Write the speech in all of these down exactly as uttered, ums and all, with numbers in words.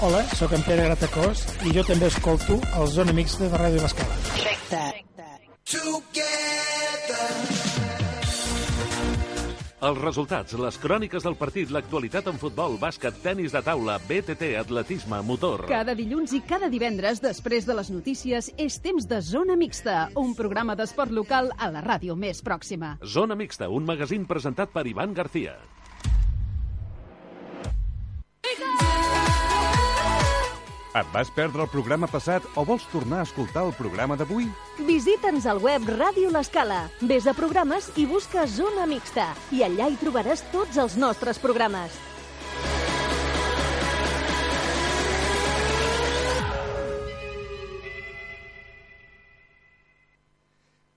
Hola, sóc en Pere Gratacós i jo també escolto el Zona Mixta de Ràdio L'Escala. Els resultats, les cròniques del partit, l'actualitat en futbol, bàsquet, tenis de taula, B T T, atletisme, motor. Cada dilluns i cada divendres, després de les notícies, és temps de Zona Mixta, un programa d'esport local a la ràdio més pròxima. Zona Mixta, un magazín presentat per Ivan García. Et vas perdre el programa passat o vols tornar a escoltar el programa d'avui? Visita'ns al web Ràdio L'Escala. Ves a programes i busca Zona Mixta. I allà hi trobaràs tots els nostres programes.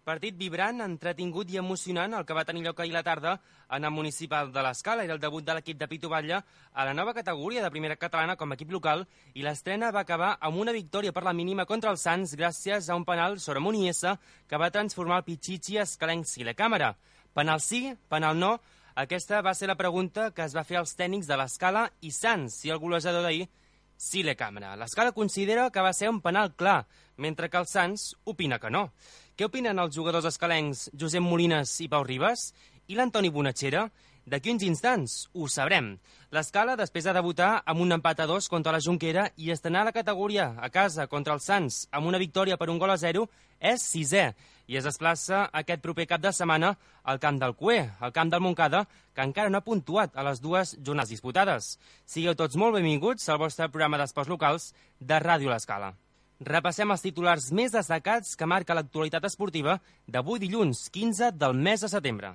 Partit vibrant, entretingut i emocionant el que va tenir lloc ahir a la tarda en el municipal de l'Escala. Era el debut de l'equip de Pitu Batlle a la nova categoria de primera catalana com a equip local i l'estrena va acabar amb una victòria per la mínima contra els Sants gràcies a un penal sobre Muniesa que va transformar el Pichichi escalenc Silecàmera. Penal sí, penal no? Aquesta va ser la pregunta que es va fer als tècnics de l'Escala i Sants, i el golejador d'ahir, Silecàmera. L'Escala considera que va ser un penal clar, mentre que el Sants opina que no. Què opinen els jugadors escalencs Josep Molines i Pau Ribas? I l'Antoni Bonatxera? D'aquí uns instants ho sabrem. L'Escala, després de debutar amb un empat a dos contra la Jonquera i estrenar la categoria a casa contra els Sants amb una victòria per un gol a zero, és sisè i es desplaça aquest proper cap de setmana al camp del Cué, al camp del Montcada, que encara no ha puntuat a les dues jornades disputades. Sigueu tots molt benvinguts al vostre programa d'esports locals de Ràdio L'Escala. Repassem els titulars més destacats que marca l'actualitat esportiva d'avui dilluns, quinze del mes de setembre.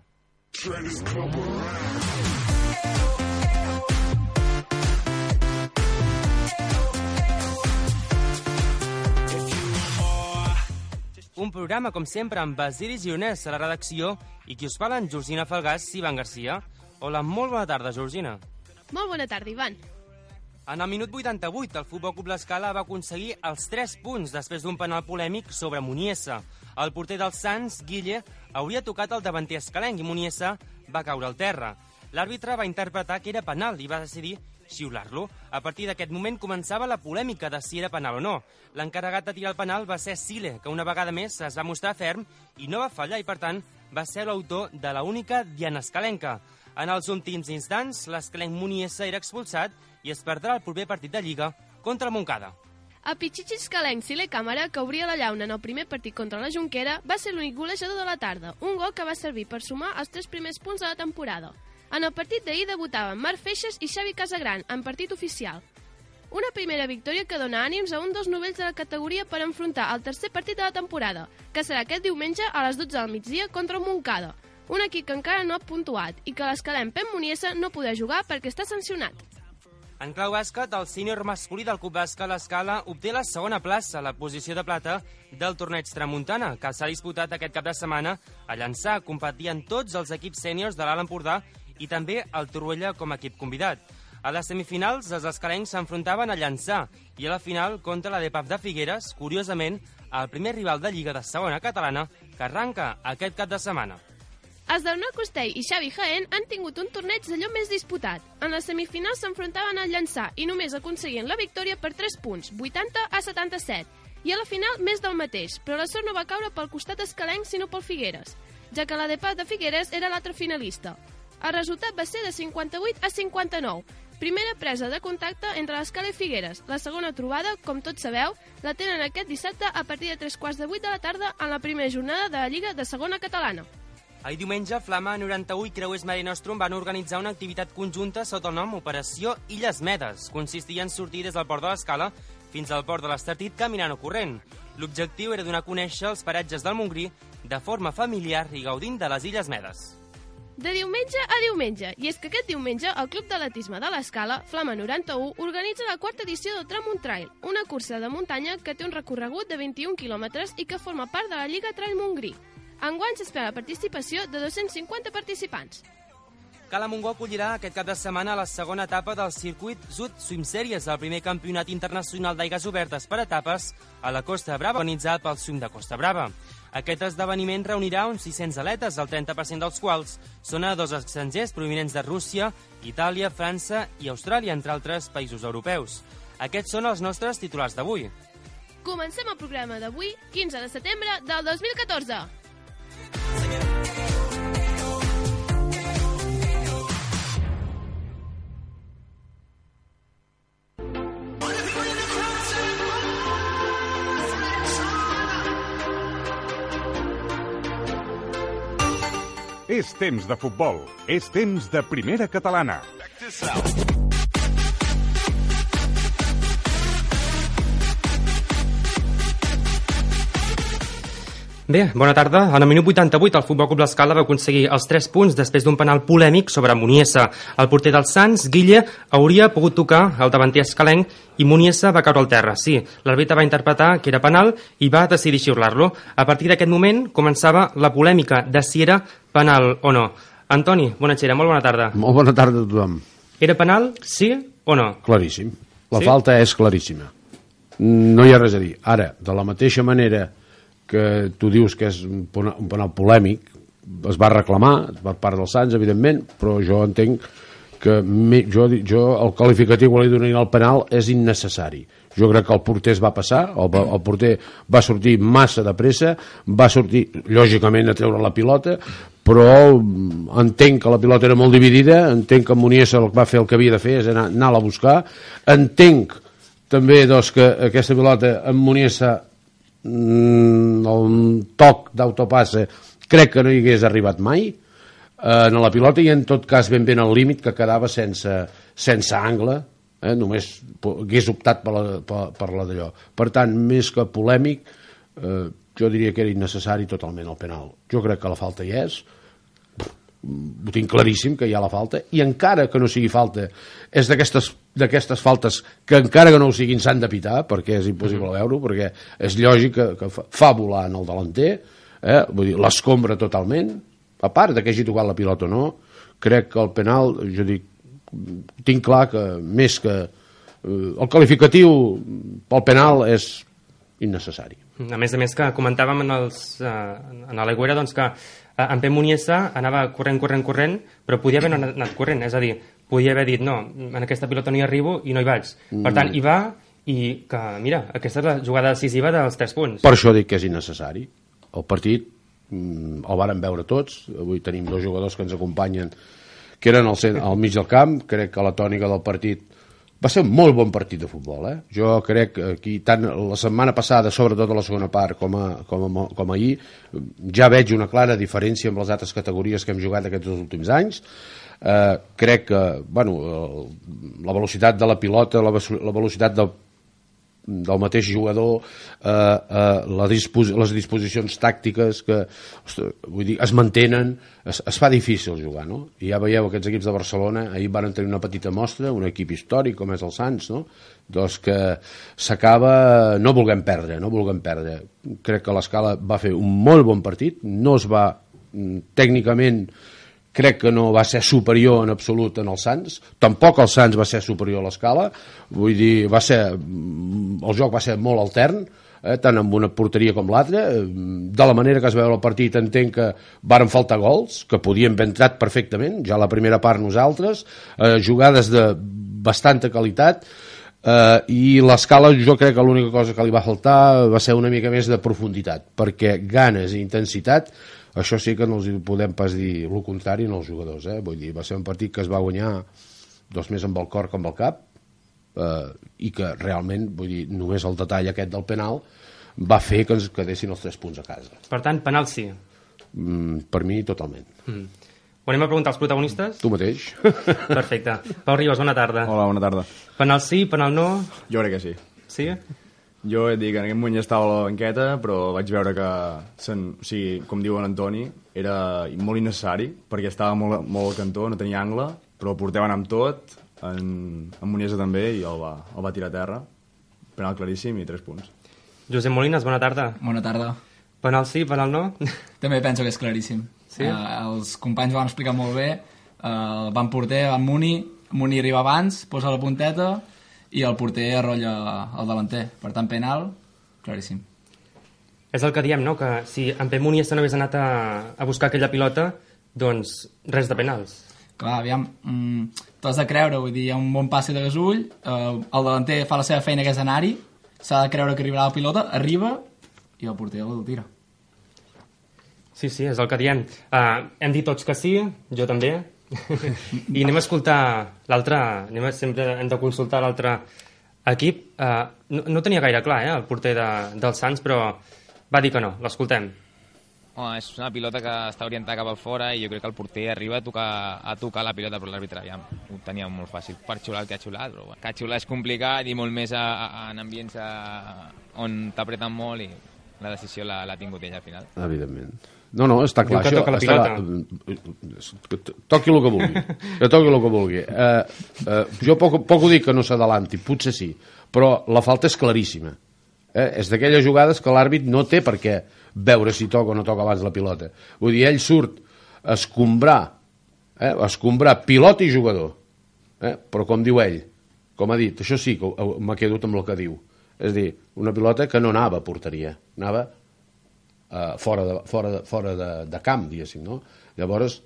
Un programa, com sempre, amb Basili Gironès a la redacció i qui us parla en Georgina Falgàs i Ivan García. Hola, molt bona tarda, Georgina. Molt bona tarda, Ivan. En el minut vuitanta-vuit, el Futbol Club L'Escala va aconseguir els tres punts després d'un penal polèmic sobre Muniesa. El porter dels Sants, Guille, hauria tocat el davanter escalenc i Muniesa va caure al terra. L'àrbitre va interpretar que era penal i va decidir xiular-lo. A partir d'aquest moment començava la polèmica de si era penal o no. L'encarregat de tirar el penal va ser Sile, que una vegada més es va mostrar ferm i no va fallar i, per tant, va ser l'autor de la única diana escalenca. En els últims instants, l'escalenc Muniesa era expulsat i es perdrà el proper partit de Lliga contra el Montcada. El Pichichi escalenc Silecàmera, que obria la llauna en el primer partit contra la Jonquera, va ser l'únic golejador de la tarda, un gol que va servir per sumar els tres primers punts de la temporada. En el partit d'ahir debutaven Marc Feixes i Xavi Casagran, en partit oficial. Una primera victòria que dona ànims a un dels novells de la categoria per enfrontar el tercer partit de la temporada, que serà aquest diumenge a les dotze del migdia contra el Montcada, un equip que encara no ha puntuat i que l'escalenc Pep Muniesa no podrà jugar perquè està sancionat. En clau bàsquet, el sènior masculí del Club Bàsquet L'Escala obté la segona plaça a la posició de plata del torneig Tramuntana, que s'ha disputat aquest cap de setmana a Llançà, competint tots els equips sèniors de l'Alt Empordà i també el Torroella com a equip convidat. A les semifinals, els escalencs s'enfrontaven a Llançà i a la final contra la D P A F de Figueres, curiosament, el primer rival de Lliga de segona catalana que arranca aquest cap de setmana. Els del Nou Costell i Xavi Jaén han tingut un torneig d'allò més disputat. En les semifinals s'enfrontaven al Llançà i només aconseguien la victòria per tres punts, vuitanta a setanta-set. I a la final més del mateix, però la sort no va caure pel costat escalenc sinó pel Figueres, ja que la D P A F de Figueres era l'altre finalista. El resultat va ser de cinquanta-vuit a cinquanta-nou. Primera presa de contacte entre l'Escala i Figueres. La segona trobada, com tots sabeu, la tenen aquest dissabte a partir de tres quarts de vuit de la tarda en la primera jornada de la Lliga de segona catalana. Ahir diumenge, Flama noranta-u i Creuers Mare Nostrum van organitzar una activitat conjunta sota el nom Operació Illes Medes. Consistia en sortir des del port de l'Escala fins al port de l'Estartit caminant o corrent. L'objectiu era donar a conèixer els paratges del Montgrí de forma familiar i gaudint de les Illes Medes. De diumenge a diumenge, i és que aquest diumenge el Club d'Atletisme de l'Escala, Flama noranta-u, organitza la quarta edició del Tramunt Trail, una cursa de muntanya que té un recorregut de vint-i-un quilòmetres i que forma part de la Lliga Trail Montgrí. Enguany s'espera la participació de dos-cents cinquanta participants. Cala Montgó acollirà aquest cap de setmana la segona etapa del circuit Sud Swim Series, el primer campionat internacional d'aigues obertes per etapes a la Costa Brava, organitzat pel Swim de Costa Brava. Aquest esdeveniment reunirà uns sis-cents atletes, el trenta per cent dels quals són a dos estrangers provinents de Rússia, Itàlia, França i Austràlia, entre altres països europeus. Aquests són els nostres titulars d'avui. Comencem el programa d'avui, quinze de setembre del dos mil catorze. És temps de futbol. És temps de primera catalana. Bé, bona tarda. En el minut vuitanta-vuit el Futbol Club L'Escala va aconseguir els tres punts després d'un penal polèmic sobre Muniesa. El porter dels Sants, Guille, hauria pogut tocar el davanter escalenc i Muniesa va caure al terra. Sí, l'àrbitre va interpretar que era penal i va decidir xiular-lo. A partir d'aquest moment començava la polèmica de si era penal o no. Antoni Bonachera, molt bona tarda. Molt bona tarda a tothom. Era penal, sí o no? Claríssim. La Sí? falta és claríssima. No hi ha res a dir. Ara, de la mateixa manera que tu dius que és un penal, un penal polèmic, es va reclamar per part dels Sants, evidentment, però jo entenc que me, jo, jo el qualificatiu que li donaria al penal és innecessari. Jo crec que el porter es va passar, el, el porter va sortir massa de pressa, va sortir, lògicament, a treure la pilota, però entenc que la pilota era molt dividida, entenc que Muniesa va fer el que havia de fer, és anar, anar-la a buscar, entenc també doncs, que aquesta pilota amb Muniesa el toc d'autopassa crec que no hi hagués arribat mai en la pilota i en tot cas ben ben al límit que quedava sense, sense angle, eh? Només hagués optat per la, per, per la d'allò. Per tant, més que polèmic, eh, jo diria que era innecessari totalment el penal. Jo crec que la falta hi és, ho tinc claríssim que hi ha la falta, i encara que no sigui falta, és d'aquestes d'aquestes faltes que encara que no ho siguin s'han de pitar, perquè és impossible veure-ho, perquè és lògic que, que fa volar en el delanter, eh? Vull dir, l'escombra totalment, a part de que hagi tocat la pilota o no, crec que el penal, jo dic, tinc clar que més que eh, el qualificatiu pel penal és innecessari. A més a més que comentàvem en, els, eh, en l'Aigüera doncs que eh, en Pep Muniesa anava corrent, corrent, corrent, però podia haver anat corrent, és a dir, podia haver dit, no, en aquesta pilota no hi arribo i no hi vaig. Per tant, hi va i que, mira, aquesta és la jugada decisiva dels tres punts. Per això dic que és innecessari. El partit mm, el varen veure tots, avui tenim dos jugadors que ens acompanyen que eren al, cent, al mig del camp, crec que la tònica del partit va ser un molt bon partit de futbol, eh? Jo crec que aquí, tant la setmana passada, sobretot a la segona part, com, a, com, a, com ahir, ja veig una clara diferència amb les altres categories que hem jugat aquests dos últims anys. Eh, crec que, bueno, la velocitat de la pilota, la, la velocitat del, del mateix jugador, eh, eh, la dispos, les disposicions tàctiques que, ostres, vull dir, es mantenen, es, es fa difícil jugar, no? I ja veieu aquests equips de Barcelona, ahir van tenir una petita mostra, un equip històric com és el Sants, no? Doncs que s'acaba no volguem perdre, no volguem perdre. Crec que l'Escala va fer un molt bon partit, no es va, tècnicament, crec que no va ser superior en absolut en el Sants, tampoc el Sants va ser superior a l'Escala, vull dir, va ser, el joc va ser molt altern, eh, tant amb una porteria com l'altra, de la manera que es veu el partit entenc que varen faltar gols, que podien haver entrat perfectament, ja la primera part nosaltres, eh, jugades de bastanta qualitat, eh, i l'Escala jo crec que l'única cosa que li va faltar va ser una mica més de profunditat, perquè ganes i intensitat això sí que no els podem pas dir el contrari en els jugadors, eh? Vull dir, va ser un partit que es va guanyar dos més amb el cor que amb el cap, eh, i que realment, vull dir, només el detall aquest del penal va fer que ens quedessin els tres punts a casa. Per tant, penal sí. Mm, per mi, totalment. Mm. Ho anem a preguntar als protagonistes? Tu mateix. Perfecte. Pau Ribas, bona tarda. Hola, bona tarda. Penal sí, penal no? Jo crec que sí. Sí? Jo et dic, en aquest moment ja estava a la banqueta, però vaig veure que, sen, o sigui, com diu en Antoni, era molt innecessari, perquè estava molt, molt al cantó, no tenia angle, però el porter va anar amb tot, en, en Muniesa també, i el va, el va tirar a terra. Penal claríssim i tres punts. Josep Molines, bona tarda. Bona tarda. Penal sí, penal no? També penso que és claríssim. Sí? Uh, els companys ho van explicar molt bé. Uh, van porter, van Muni, Muni arriba abans, posa la punteta i el porter arrolla el delanter. Per tant, penal, claríssim. És el que diem, no? Que si en Pep Muniesa no hagués anat a, a buscar aquella pilota, doncs res de penals. Clar, aviam, mm, t'has de creure, vull dir, hi ha un bon passe de Gasull, eh, el delanter fa la seva feina que és anar-hi, s'ha de creure que arribarà la pilota, arriba i el porter el tira. Sí, sí, és el que diem. Uh, hem dit tots que sí, jo també, i anem a escoltar l'altre, anem a, sempre hem de consultar l'altre equip. Uh, no, no tenia gaire clar, eh, el porter de, del Sants, però va dir que no, l'escoltem. Oh, és una pilota que està orientada cap al fora i jo crec que el porter arriba a tocar, a tocar la pilota, però l'àrbitre ja ho tenia molt fàcil per xular el que ha xulat, però bueno, que xular és complicat i molt més a, a, en ambients a, on t'apreten molt i la decisió l'ha tingut ella al final. Evidentment. No, no, està clar. Diu que toca la pilota. Està... Toqui el que vulgui. Que toqui el que vulgui. Eh, eh, jo poc, poc ho dic que no s'adalanti, potser sí, però la falta és claríssima. Eh? És d'aquelles jugades que l'àrbit no té per què veure si toca o no toca abans la pilota. Vull dir, ell surt a escombrar, eh? a escombrar pilota i jugador. Eh? Però com diu ell, com ha dit, això sí que m'ha quedat amb el que diu. És a dir, una pilota que no anava a porteria, anava uh, fora, de, fora, de, fora de, de camp, diguéssim, no? Llavors,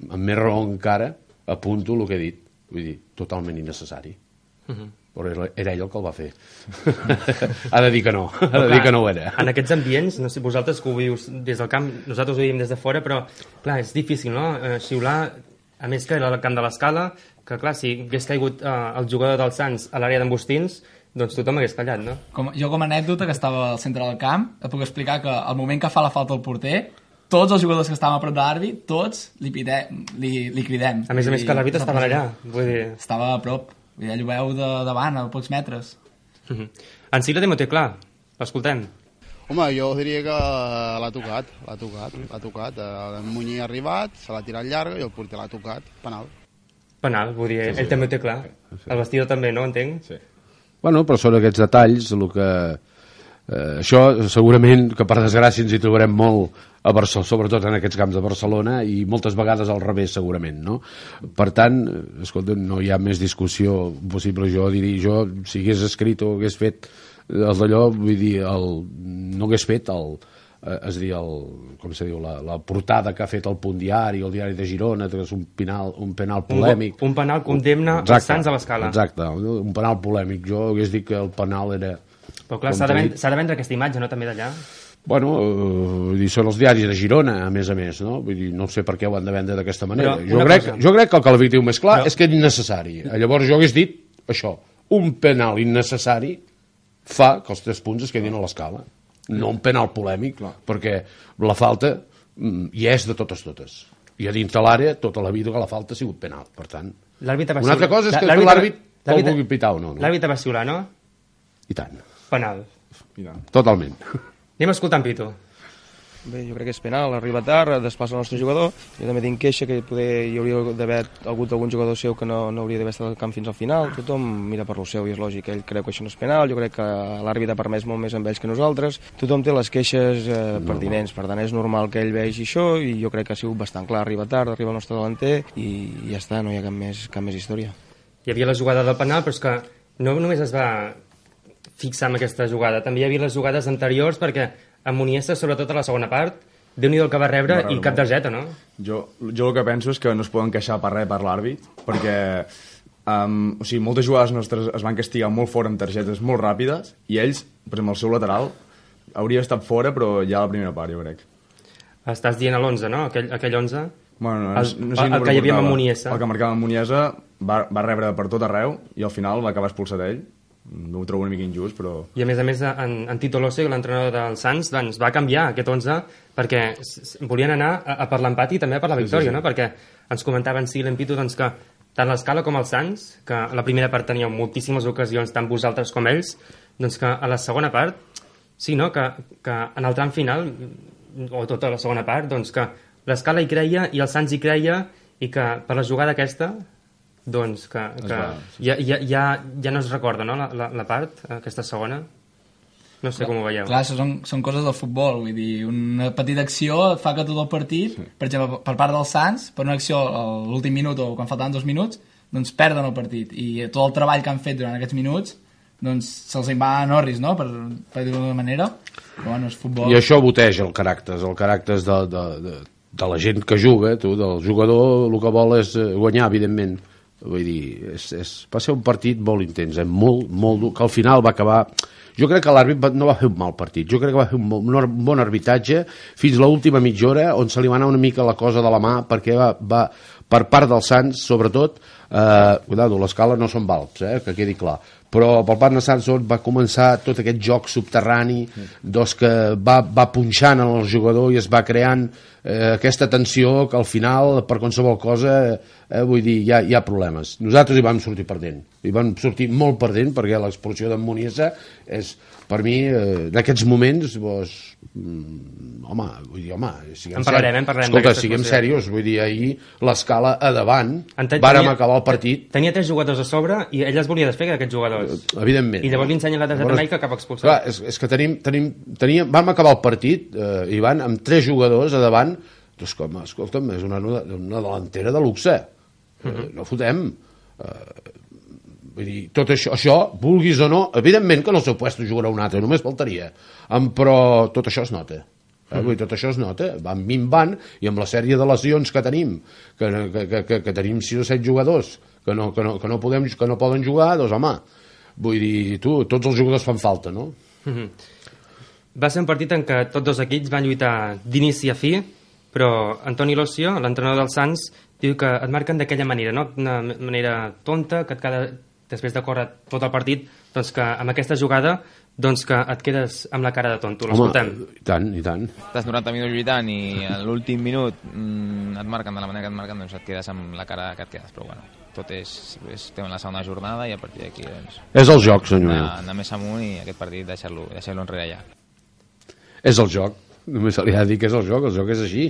amb més raó encara, apunto el que he dit. Vull dir, totalment innecessari. Uh-huh. Però era ell el que el va fer. Ha de dir que no, ha de dir que no ho era. En aquests ambients, no sé, vosaltres que ho vius des del camp, nosaltres ho veiem des de fora, però clar, és difícil, no? Eh, xiular, a més que era el camp de l'Escala, que clar, si hagués caigut eh, el jugador del Sants a l'àrea d'Embustins, doncs tothom hagués callat, no? Com, jo com a anècdota, que estava al centre del camp, et puc explicar que al moment que fa la falta el porter, tots els jugadors que estàvem a prop de l'àrbit, tots li, pide, li, li cridem. A més a més que l'àrbit estava allà. Vull dir... Estava a prop. Ja ho veu de davant, a pocs metres. Uh-huh. En Sila també ho té clar. L'escoltem. Home, jo diria que l'ha tocat, l'ha tocat, l'ha tocat. El Muñi ha arribat, se l'ha tirat llarga i el porter l'ha tocat. Penal. Penal, vull dir, sí, sí, ell també ho té clar. Sí. El vestidor també, no? Entenc? Sí. Bueno, però són aquests detalls, el que... Eh, això segurament que per desgràcia ens hi trobarem molt a Barcelona, sobretot en aquests camps de Barcelona, i moltes vegades al revés segurament, no? Per tant, escolta, no hi ha més discussió possible. Jo diria, jo si hagués escrit o hagués fet el d'allò, vull dir, el, no hagués fet el, eh, és dir, el, com se diu, la, la portada que ha fet el Punt Diari, el Diari de Girona, que és un penal, un penal polèmic. Un, un penal condemna els Sants a l'Escala. Exacte, un penal polèmic. Jo hagués dit que el penal era... Però clar, s'ha de, vendre, s'ha de vendre aquesta imatge, no, també d'allà? Bueno, eh, són els diaris de Girona, a més a més, no? Vull dir, no sé per què ho han de vendre d'aquesta manera. Jo crec, jo crec que el que el diu més clar Però... és que és innecessari. Llavors jo hagués dit això, un penal innecessari fa que els tres punts es quedin a l'escala. No un penal polèmic, clar, perquè la falta hi és de totes totes. I a dins de l'àrea, tota la vida que la falta ha sigut penal. Per tant, una altra cosa és que l'àrbit el vulgui pitar o no. L'àrbit va xiular, no? I tant. Penal. Totalment. Anem escoltant Pitu. Bé, jo crec que és penal, arriba tard, desplaça el nostre jugador. Jo també tinc queixa que poder, hi hauria d'haver hagut algun jugador seu que no, no hauria d'haver estat al camp fins al final. Tothom mira per lo seu i és lògic. Ell creu que això no és penal, jo crec que l'àrbit ha permès molt més amb ells que nosaltres. Tothom té les queixes eh, pertinents, per tant és normal que ell vegi això i jo crec que ha sigut bastant clar. Arriba tard, arriba el nostre delanter i ja està, no hi ha cap més, cap més història. Hi havia la jugada del penal, però és que no només es va fixar en aquesta jugada, també hi havia les jugades anteriors, perquè en Muniesa, sobretot a la segona part, Déu-n'hi-do el que va rebre va i cap targeta, no? Jo, jo el que penso és que no es poden queixar per res per l'àrbit, perquè um, o sigui, moltes jugades nostres es van castigar molt fora amb targetes molt ràpides i ells, per exemple, el seu lateral hauria estat fora, però ja a la primera part, jo crec. Estàs dient a l'onze, no? Aquell, aquell onze? Bueno, no, el, no sé el, el que hi havia amb Muniesa. El que marcava amb Muniesa va, va rebre per tot arreu i al final va acabar expulsat ell. No ho trobo una mica injust, però... I a més a més, en, en Tito Lose, l'entrenador del Sants, doncs, va canviar aquest onze perquè volien anar a, a per l'empat i també a per la victòria, sí, sí, sí. No? Perquè ens comentaven sí, l'Empito, doncs, que tant l'Escala com el Sants, que a la primera part teníeu moltíssimes ocasions, tant vosaltres com ells, doncs que a la segona part, sí, no? que, que en el tram final, o tota la segona part, doncs que l'Escala hi creia i el Sants hi creia i que per la jugada aquesta... doncs que, que va, sí. ja, ja, ja, ja no es recorda, no, la, la, la part, aquesta segona? No sé clar, com ho veieu. Clar, això són, són coses del futbol, vull dir, una petita acció fa que tot el partit, sí. per exemple, per part dels Sants, per una acció a l'últim minut o quan faltaven dos minuts, doncs perden el partit, i tot el treball que han fet durant aquests minuts, doncs se'ls en va a Norris, no?, per, per dir-ho d'una manera, però bueno, és futbol. I això boteja el caràcter, el caràcter de, de, de, de la gent que juga, tu, del jugador, el que vol és guanyar, evidentment. Vull dir, és, és, va ser un partit molt intens, eh? molt, molt dur, que al final va acabar... Jo crec que l'àrbit no va fer un mal partit, jo crec que va fer un bon arbitratge fins a l'última mitja hora, on se li va anar una mica la cosa de la mà, perquè va, va per part dels Sants, sobretot, eh, cuidado, l'escala no són valps, eh, que quedi clar, però per part de Sants va començar tot aquest joc subterrani, doncs que va, va punxant en el jugador i es va creant eh, aquesta tensió que al final, per qualsevol cosa, eh, vull dir, hi ha, hi ha problemes. Nosaltres hi vam sortir perdent, hi vam sortir molt perdent, perquè l'expulsió d'en Muniesa és, per mi, eh, en aquests moments, doncs, mm, home, vull dir, home, en parlarem, en parlarem escolta, siguem serios, vull dir, ahir l'escala a davant, vàrem acabar el partit. Tenia tres jugadors a sobre i ell es volia desfer d'aquests jugadors. Evidentment. I llavors li ensenya la targeta amarilla que acaba expulsat. Clar, és, és que tenim, tenim, teníem, vam acabar el partit, eh, Ivan, amb tres jugadors a davant, doncs com, escolta'm, és una, una delantera de luxe. Uh -huh. No fotem. Eh, vull dir, tot això, això, vulguis o no, evidentment que en el seu puesto jugarà un altre, només faltaria. Um, però tot això es nota. Eh? Vull dir, tot això es nota, van minvant, i amb la sèrie de lesions que tenim, que, que, que, que, que tenim sis o set jugadors que no, que, no, que, no podem, que no poden jugar, doncs home, vull dir, tu, tots els jugadors fan falta, no? Uh -huh. Va ser un partit en què tots dos equips van lluitar d'inici a fi, però Antoni Locio, l'entrenador dels Sants, diu que et marquen d'aquella manera, no? Una manera tonta, que et queda, després de córrer tot el partit, doncs que amb aquesta jugada doncs que et quedes amb la cara de tonto. L'escoltem. I tant, i tant. Estàs noranta minuts lluitant i a l'últim minut mm, et marquen de la manera que et marquen, doncs et quedes amb la cara que et quedes, però bueno, tot és, és tema la segona jornada i a partir d'aquí doncs, és el joc, senyor meu. Anar, anar més amunt i aquest partit deixar-lo deixar enrere ja. És el joc, només se li ha de dir que és el joc, el joc és així.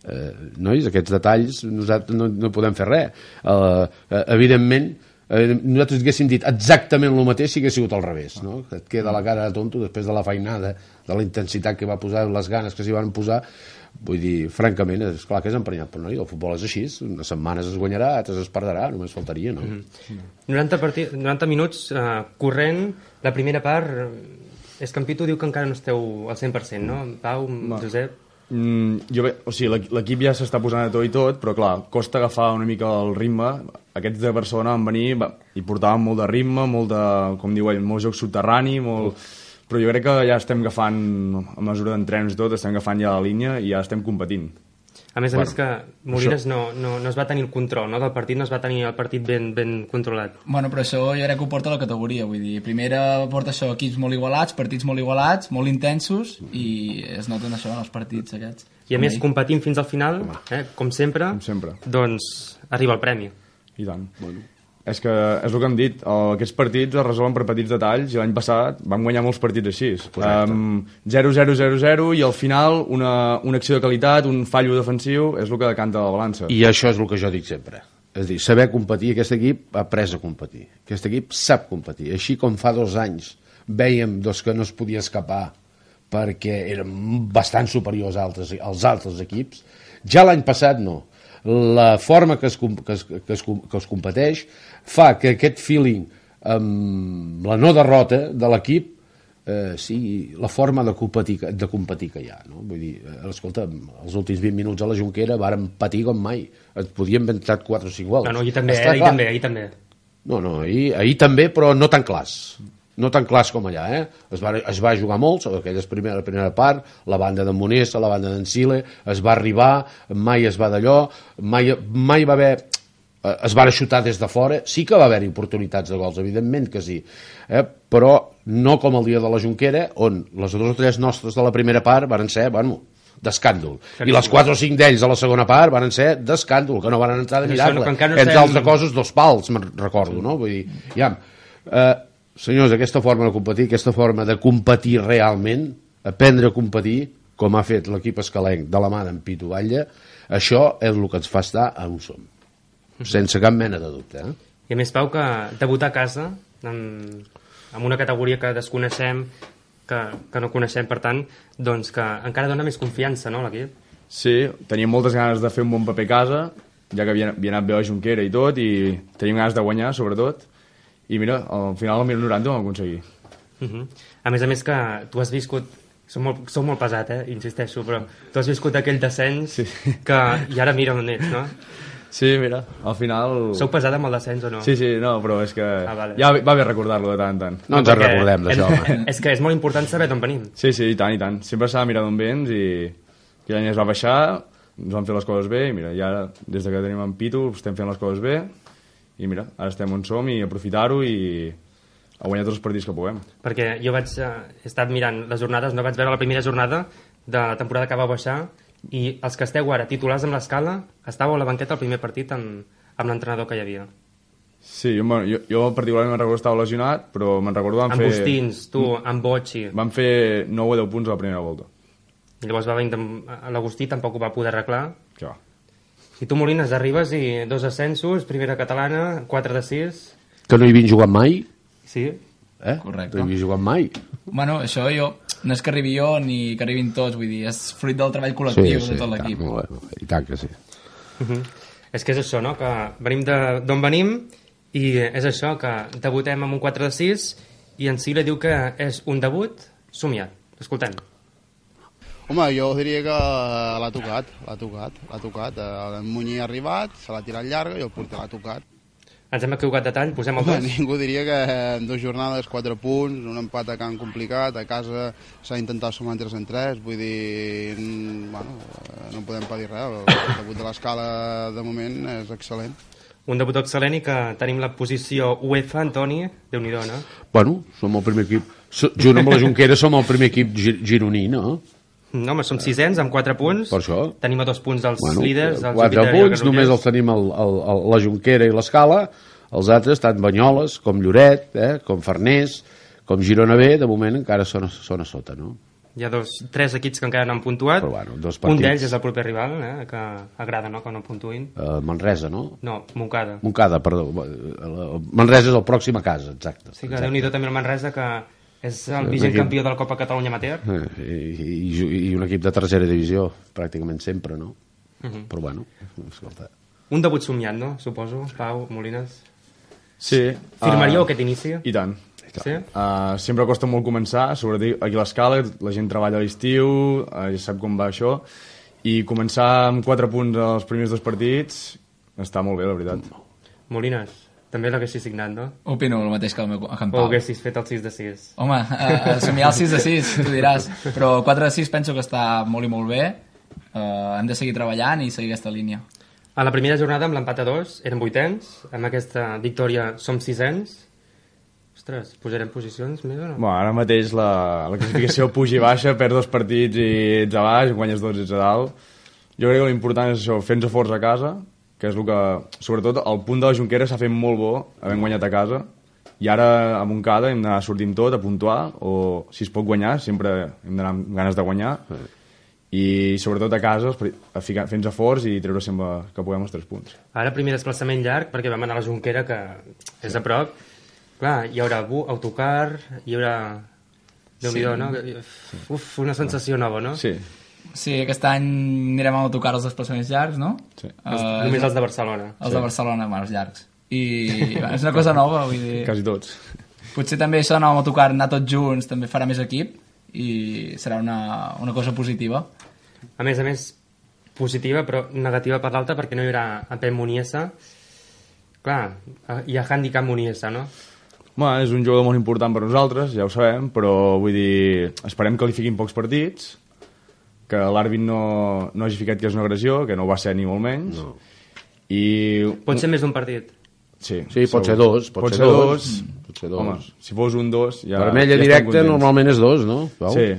Eh, nois, aquests detalls nosaltres no, no podem fer res. Eh, eh, evidentment, eh, nosaltres haguéssim dit exactament el mateix si hagués sigut al revés, no? Et queda la cara de tonto després de la feinada, de la intensitat que va posar, les ganes que s'hi van posar. Vull dir, francament, és clar que és emprenyat, però no, el futbol és així, unes setmanes es guanyarà, altres es perdrà, només faltaria, no? Mm-hmm. noranta, partid, noranta minuts eh, corrent, la primera part, és que en Pitu diu que encara no esteu al cent per cent, no? Pau, Va. Josep... Mm, jo bé, o sigui, l'equip ja s'està posant a tot i tot, però clar, costa agafar una mica el ritme. Aquests de Barcelona van venir va, i portaven molt de ritme, molt de, com diu ell, molt joc subterrani, molt... però jo crec que ja estem agafant, a mesura d'entrenos i tot, estem agafant ja la línia i ja estem competint. A més a bueno, més que Molines no, no, no es va tenir el control, no?, del partit, no es va tenir el partit ben, ben controlat. Bueno, però això jo crec que ho porta la categoria, vull dir, primera porta això, equips molt igualats, partits molt igualats, molt intensos, i es noten això en els partits aquests. I a més, competint fins al final, eh, com sempre, com sempre, doncs arriba el premi. I tant. Bueno. És que és el que hem dit, aquests partits es resolen per petits detalls i l'any passat vam guanyar molts partits així. Um, zero zero zero zero i al final una, una acció de qualitat, un fallo defensiu, és el que decanta la balança. I això és el que jo dic sempre. És a dir, saber competir, aquest equip ha après a competir. Aquest equip sap competir. Així com fa dos anys vèiem doncs, que no es podia escapar perquè eren bastant superiors als altres, als altres equips, ja l'any passat no. La forma que es, que, es, que, es, que es competeix fa que aquest feeling amb la no derrota de l'equip eh, sigui la forma de competir, de competir que hi ha, no? Vull dir, escolta, els últims vint minuts a la Jonquera vàrem patir com mai, et podien haver entrat quatre o cinc gols. No, no, ahir també, eh? ahir també, ahir també. No, no, ahir, ahir també, però no tan clars. No tan clars com allà, eh? Es va, es va jugar molt, aquella primera, primera part, la banda de Monessa, la banda d'en Sile, es va arribar, mai es va d'allò, mai, mai va haver... Es va xutar des de fora, sí que va haver-hi oportunitats de gols, evidentment que sí, eh? Però no com el dia de la Jonquera, on les dues o tres nostres de la primera part van ser, bueno, d'escàndol. I les quatre o cinc d'ells a la segona part van ser d'escàndol, que no van entrar de miracle. No, no entre altres coses, dos pals, me'n recordo, no? Vull dir, ja... Eh, senyors, aquesta forma de competir, aquesta forma de competir realment, aprendre a competir, com ha fet l'equip escalenc de la mà d'en Pitu Batlle, això és el que ens fa estar on som. Sense cap mena de dubte. Eh? I a més, Pau, que debutar a casa, amb, amb una categoria que desconeixem, que, que no coneixem, per tant, doncs que encara dona més confiança, no, a l'equip? Sí, teníem moltes ganes de fer un bon paper a casa, ja que havia, havia anat bé a Junquera i tot, i teníem ganes de guanyar, sobretot, i mira, al final al minut noranta ho vam aconseguir. Uh -huh. A més a més que tu has viscut, sou molt, sou molt pesat, eh? Insisteixo, però tu has viscut aquell descens sí. que, i ara mira on ets, no? Sí, mira, al final... Sou pesat amb el descens o no? Sí, sí, no, però és que ah, vale. ja va bé recordar-lo de tant en tant. No ens en recordem d'això. És que és molt important saber d'on venim. Sí, sí, i tant, i tant. Sempre s'ha de mirar d'on vens i aquell any es va baixar, ens van fer les coses bé i mira, ja des que tenim en Pitu estem fent les coses bé i mira, ara estem on som i aprofitar-ho i a guanyar tots els partits que puguem. Perquè jo vaig, eh, he estat mirant les jornades, no vaig veure la primera jornada de la temporada que va baixar i els que esteu ara titulars amb l'Escala estàveu a la banqueta el primer partit amb, amb l'entrenador que hi havia. Sí, jo, jo, jo particularment me'n recordo que estava lesionat, però me'n recordo van amb fer... Amb Bustins, tu, amb Bocci. Van fer nou o deu punts a la primera volta. I llavors va venir l'Agustí, tampoc ho va poder arreglar. Que va. I tu, Molines, arribes i dos ascensos, primera catalana, quatre de sis... Que no hi havien jugat mai? Sí. Eh? Correcte. No hi havia jugat mai. Bueno, això jo... No és que arribi jo ni que arribin tots, vull dir, és fruit del treball col·lectiu sí, sí, de tot l'equip. I tant que sí. Uh -huh. És que és això, no?, que venim d'on venim i és això, que debutem amb un quatre de sis i en Sile diu que és un debut somiat. Escoltem. Home, jo diria que l'ha tocat, l'ha tocat, l'ha tocat. El Muñi ha arribat, se l'ha tirat llarga i el porter l'ha tocat. Ens hem equivocat de tall, posem el dos. Ningú diria que en dues jornades, quatre punts, un empat a camp complicat, a casa s'ha intentat sumar en tres en tres, vull dir, bueno, no podem pedir res, el debut de l'Escala de moment és excel·lent. Un debut excel·lent i que tenim la posició UEFA, Antoni, Déu-n'hi-do, no? Bueno, som el primer equip, junt amb la Junquera som el primer equip gironí, no? No, home, som sisens amb quatre punts. Per això. Tenim a dos punts els bueno, líders. Els quatre punts, només els tenim el, el, el, la Junquera i l'Escala. Els altres, tant Banyoles, com Lloret, eh, com Farners, com Girona B, de moment encara són, són a sota, no? Hi ha dos, tres equips que encara no han puntuat. Però, bueno, dos un d'ells és el proper rival, eh, que agrada, no?, que no puntuïn. Uh, Manresa, no? No, Montcada. Montcada, perdó. Manresa és el pròxim a casa, exacte. Sí, que exacte. Déu-n'hi-do també el Manresa, que és el vigent equip... campió de la Copa Catalunya Amateur. Eh, i, i, I un equip de tercera divisió, pràcticament sempre, no? Uh -huh. Però, bueno, escolta... Un debut somiat, no?, suposo, Pau, Molines. Sí. Firmaríeu uh, aquest inici? I tant. Sí? Uh, sempre costa molt començar, sobretot aquí a l'Escala, la gent treballa a l'estiu, uh, ja sap com va això, i començar amb quatre punts als primers dos partits està molt bé, la veritat. Molines, també l'haguessis signat, no? Opino el mateix que el meu que en Pau. O haguessis fet el sis de sis. Home, uh, somiar el sis de sis, tu diràs, però quatre de sis penso que està molt i molt bé, uh, hem de seguir treballant i seguir aquesta línia. A la primera jornada, amb l'empat a dos, eren vuitens, amb aquesta victòria som sisens. Ostres, posarem posicions més o no? Bueno, ara mateix la, la classificació puja i baixa, perds dos partits i ets a baix, guanyes dos i ets a dalt. Jo crec que l'important és això, fer-nos forts a casa, que és el que... Sobretot, el punt de la Junquera s'ha fet molt bo, havent guanyat a casa, i ara a Montcada hem d'anar sortint tot, a puntuar, o si es pot guanyar, sempre hem d'anar amb ganes de guanyar, i sobretot a casa fent-nos forts i treure sempre que puguem els tres punts. Ara primer desplaçament llarg, perquè vam anar a la Junquera, que és a prop. Clar, hi haurà autocar, hi haurà... Déu-n'hi-do, sí. No? Uf, una sensació nova, no? Sí. Sí, aquest any anirem a autocar els desplaçaments llargs, no? Sí. Uh, Només els de Barcelona. Els sí. de Barcelona, bueno, els llargs. I bueno, és una cosa nova, vull dir... Quasi tots. Potser també això d'anar amb autocar, anar tots junts, també farà més equip i serà una, una cosa positiva. A més a més, positiva, però negativa per l'altra, perquè no hi haurà a Pep Muniesa. Clar, hi ha handicap Muniesa, no? Bueno, és un jugador molt important per nosaltres, ja ho sabem, però vull dir, esperem que li fiquin pocs partits, que l'àrbit no, no hagi ficat que és una agressió, que no ho va ser ni molt menys. No. I... Pot ser més d'un partit? Sí, sí pot, ser dos, pot, pot ser dos. dos. Mm. Pot ser dos. Home, si fos un dos... Ja, Vermella ja directa normalment és dos, no? Pau? Sí.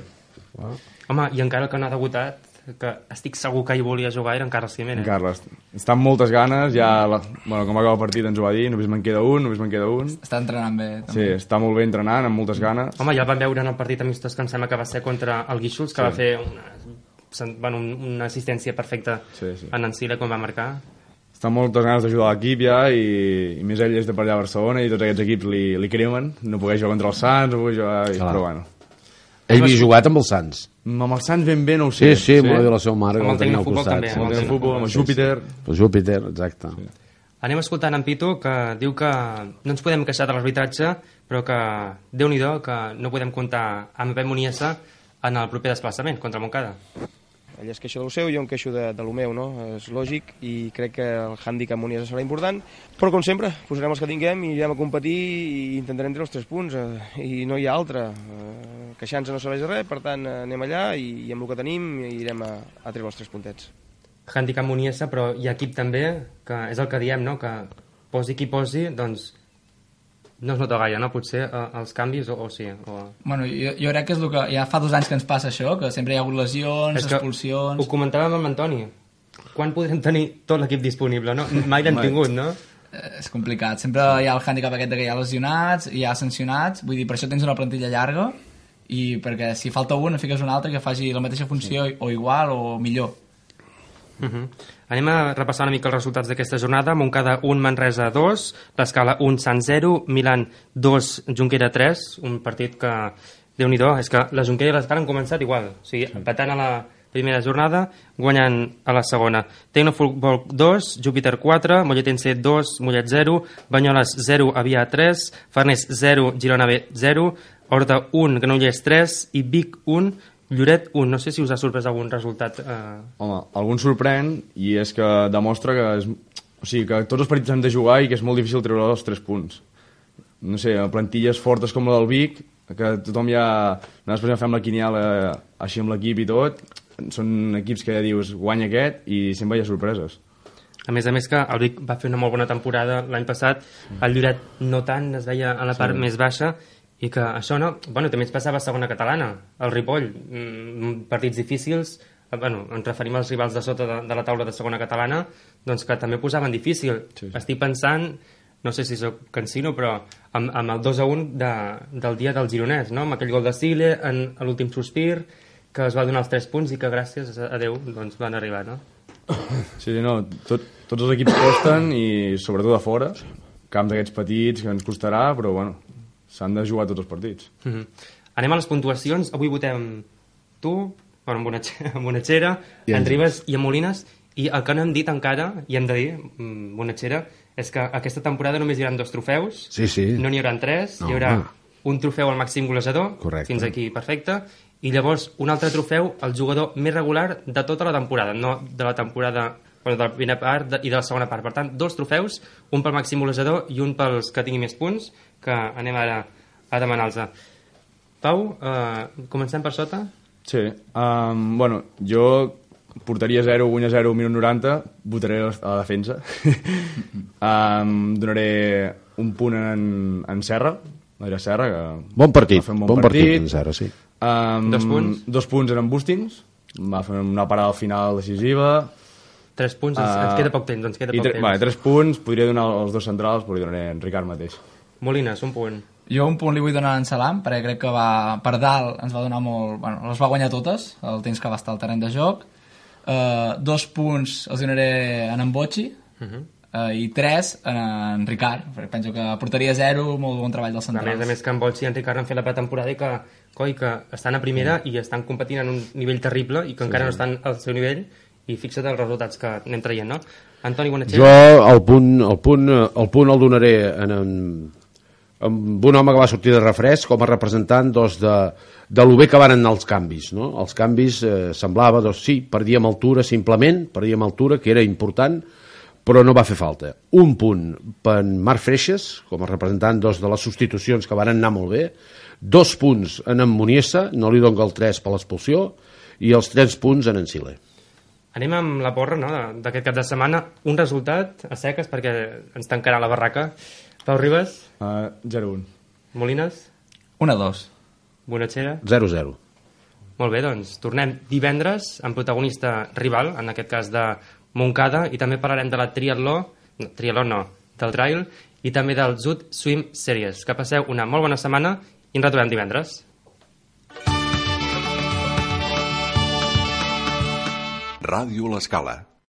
Wow. Home, i encara que no ha debutat, que estic segur que hi volia jugar, era en Carles Jiménez. En Carles. Està amb moltes ganes, ja... La, bueno, com va acabar el partit ens ho va dir, només me'n queda un, només me'n queda un. Està entrenant bé, també. Sí, està molt bé entrenant, amb moltes ganes. Home, ja el vam veure en el partit amistós que em sembla que va ser contra el Guíxols, que sí. va fer una, bueno, una assistència perfecta sí, sí. en Encile quan va marcar. Està amb moltes ganes d'ajudar l'equip ja, i, i més ell és de per allà a Barcelona, i tots aquests equips li, li cremen, no poder jugar contra els Sants, no poder jugar... I, però bueno. Ell havia jugat amb els Sants. Amb els Sants ben bé no ho sé. Sí, sí, m'ho va dir la seva mare, que el tenia al costat. També, amb el Tecnofutbol, amb el Júpiter. El Júpiter, exacte. Sí. Anem escoltant en Pitu, que diu que no ens podem queixar de l'arbitratge, però que, Déu-n'hi-do, que no podem comptar amb Pep Muniesa en el proper desplaçament contra Montcada. Ell es queixa del seu, jo em queixo de, de lo meu, no? És lògic i crec que el hàndicap Muniesa serà important, però com sempre, posarem els que tinguem i irem a competir i intentarem treure els tres punts, eh, i no hi ha altre. Eh, Queixar-nos no serveix de res, per tant, anem allà i, i amb el que tenim irem a, a treure els tres puntets. Hàndicap Muniesa, però hi ha equip també, que és el que diem, no? Que posi qui posi, doncs no es nota gaire, no? Potser eh, els canvis o, o sí. O... Bueno, jo, jo crec que és el que ja fa dos anys que ens passa això, que sempre hi ha hagut lesions, expulsions... Ho comentàvem amb l'Antoni. Quan podrem tenir tot l'equip disponible, no? Mai l'hem tingut, no? Eh, és complicat. Sempre hi ha el hàndicap aquest de que hi ha lesionats, hi ha sancionats, vull dir, per això tens una plantilla llarga, i perquè si falta un, fiques un altre que faci la mateixa funció sí. o igual o millor. Uh-huh. Anem a repassar una mica els resultats d'aquesta jornada. Montcada un, Manresa dos, l'Escala un, Sant zero, Milan dos, Junquera tres, un partit que, Déu-n'hi-do, és que la Junquera i l'Escala han començat igual, o sigui, empatant a la primera jornada, guanyant a la segona. Tecnofutbol dos, Júpiter quatre, Molletense dos, Mollet zero, Banyoles zero, Avià tres, Farners zero, Girona B zero, Horta un, Granollers tres i Vic un, Lloret un. No sé si us ha sorprès algun resultat. Eh... Home, algun sorprèn, i és que demostra que, és, o sigui, que tots els partits han de jugar i que és molt difícil treure els tres punts. No sé, plantilles fortes com la del Vic, que tothom ja... Nosaltres fem la quiniela així amb l'equip i tot, són equips que ja dius guanya aquest i sempre hi ha sorpreses. A més a més que el Vic va fer una molt bona temporada l'any passat, el Lloret no tant, es veia a la part sí. més baixa, i que això no... Bueno, també ens passava a segona catalana, el Ripoll, mm, partits difícils, bueno, ens referim als rivals de sota de, de la taula de segona catalana, doncs que també posaven difícil. Sí, sí. Estic pensant, no sé si soc cansino, però amb, amb el dos a un de, del dia del Gironès, no? Amb aquell gol de Sile en l'últim sospir, que es va donar els tres punts i que gràcies a Déu doncs, van arribar, no? Sí, no, tot, tots els equips costen i sobretot a fora, camps d'aquests petits que ens costarà, però bueno, s'han de jugar tots els partits. Mm-hmm. Anem a les puntuacions. Avui votem tu, bueno, amb Bonatxera, amb Bonatxera en Ribes i en Molines, i el que no hem dit encara, i hem de dir, Bonatxera, és que aquesta temporada només hi haurà dos trofeus, sí, sí. no n'hi haurà tres, no, hi haurà ah. un trofeu al màxim golejador, correcte. Fins aquí perfecte, i llavors un altre trofeu al jugador més regular de tota la temporada, no de la temporada, bueno, de la primera part de, i de la segona part. Per tant, dos trofeus, un pel màxim golejador i un pels que tingui més punts, que anem ara a demanar-los. Pau, eh, comencem per sota? Sí, um, bueno, jo portaria zero, guanya zero, minut noranta, votaré a la defensa. um, donaré un punt en, en Serra, Adrià Serra, que bon partit, va fer un bon, bon partit. partit en Serra, sí. Um, dos punts? Dos punts en Bustins, va fer una parada al final decisiva. Tres punts, ens, uh, ens queda poc temps, ens queda poc tre temps. Vale, tres punts, podria donar els dos centrals, però li donaré en Ricard mateix. Molines, un punt. Jo un punt li vull donar a en Salam, perquè crec que va, per dalt ens va donar molt... Bueno, les va guanyar totes, el temps que va estar al terreny de joc. Uh, dos punts els donaré en en Bocci, uh-huh. uh, i tres en en Ricard, perquè penso que portaria zero, molt bon treball dels centrals. A més a més que en Bocci i en Ricard han fet la pretemporada i que, coi, que estan a primera sí. i estan competint en un nivell terrible i que sí, encara sí. no estan al seu nivell, i fixa't els resultats que anem traient, no? Antoni Bonatxera. Jo el punt, el punt, el punt el donaré en, en, amb un home que va sortir de refresc com a representant doncs, de, de lo bé que van anar els canvis, no? Els canvis eh, semblava, doncs sí, perdíem altura simplement, perdíem altura, que era important, però no va fer falta. Un punt per Marc Freixas, com a representant doncs, de les substitucions que van anar molt bé, dos punts en en Muniesa, no li dono el tres per l'expulsió, i els tres punts en en Sile. Anem amb la porra, no?, d'aquest cap de setmana. Un resultat a seques, perquè ens tancarà la barraca. Pau Ribes? Uh, zero un. Molines? un a dos. Bonatxera? zero zero. Molt bé, doncs tornem divendres amb protagonista rival, en aquest cas de Montcada, i també parlarem de la triatló, no, triatló no, del trail, i també del Zut Swim Series. Que passeu una molt bona setmana i ens retrobem divendres. Ràdio L'Escala.